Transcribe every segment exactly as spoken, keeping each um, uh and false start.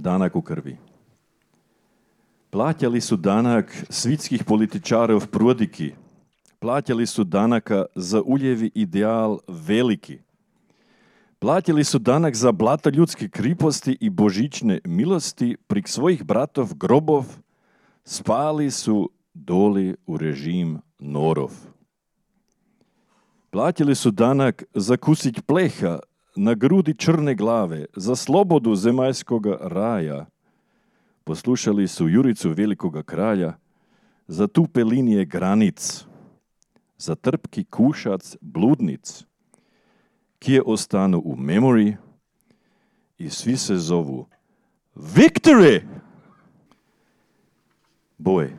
danak u krvi. Plaćali su danak svitskih političara v prodiki. Plaćali su danaka za uljevi ideal veliki. Plaćali su danak za blata ljudske kriposti i božične milosti prik svojih bratov grobov. Spali su doli u režim norov. Plaćali su danak za kusić pleha na grudi črne glave, za slobodu zemaljskoga raja. Poslušali su juricu velikoga kralja, za tupe linije granic, za trpki kušac bludnic, kje ostanu u memory i svi se zovu Victory! Boj.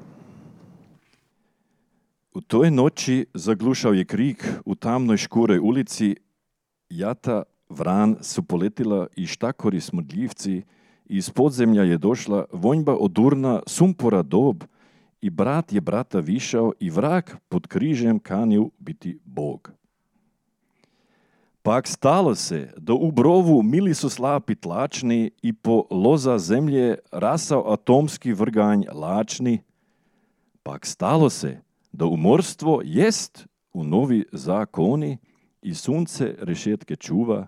U toj noći zaglušao je krik u tamnoj škuroj ulici, jata vran su poletila i štakori smrdljivci, iz podzemlja je došla vonjba odurna sumpora dob i brat je brata višao i vrag pod križem kanil biti Bog. Pak stalo se, da u brovu mili su slapi tlačni i po loza zemlje rasao atomski vrganj lačni. Pak stalo se, da umorstvo jest u novi zakoni i sunce rešetke čuva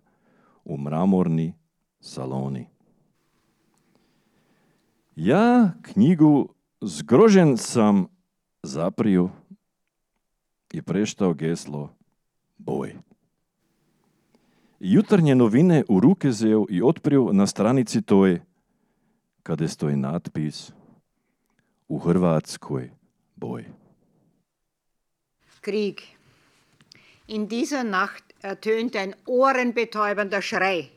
u mramorni saloni. Ja knjigu zgrožen sam zaprio i preštao geslo Boj. Jutarnje novine u ruke zeo i otprio na stranici toj, kada stoji natpis U Hrvatskoj boj. Krieg. In dieser Nacht ertönte ein ohrenbetäubender Schrei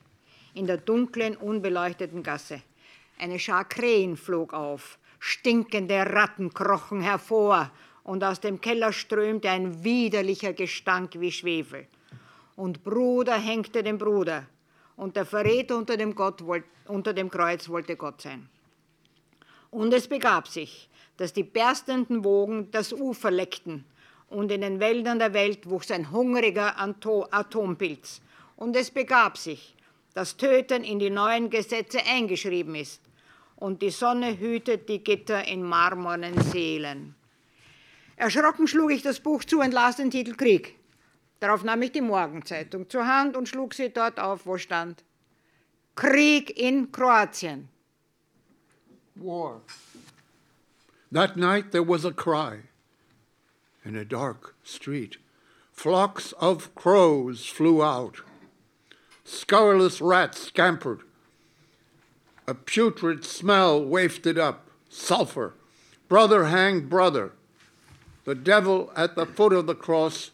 in der dunklen, unbeleuchteten Gasse. Eine Schar Krähen flog auf, stinkende Ratten krochen hervor und aus dem Keller strömte ein widerlicher Gestank wie Schwefel. Und Bruder hängte den Bruder und der Verräter unter dem, Gott wollt, unter dem Kreuz wollte Gott sein. Und es begab sich, dass die berstenden Wogen das Ufer leckten und in den Wäldern der Welt wuchs ein hungriger Atompilz. Und es begab sich, dass Töten in die neuen Gesetze eingeschrieben ist und die Sonne hütet die Gitter in marmornen Seelen. Erschrocken schlug ich das Buch zu und las den Titel Krieg. Darauf nahm ich die Morgenzeitung zur Hand und schlug sie dort auf, wo stand Krieg in Kroatien. War. That night there was a cry in a dark street. Flocks of crows flew out. Scurrilous rats scampered. A putrid smell wafted up. Sulfur. Brother hanged brother. The devil at the foot of the cross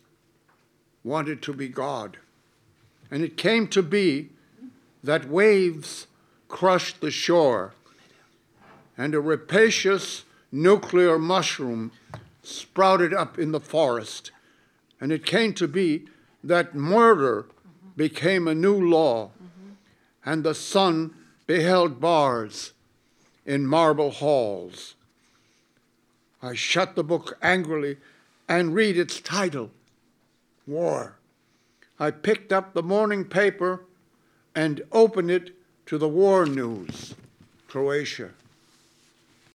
wanted to be God. And it came to be that waves crushed the shore and a rapacious nuclear mushroom sprouted up in the forest. And it came to be that murder became a new law, mm-hmm. and the sun beheld bars in marble halls. I shut the book angrily and read its title, War. I picked up the morning paper and opened it to the war news. Croatia.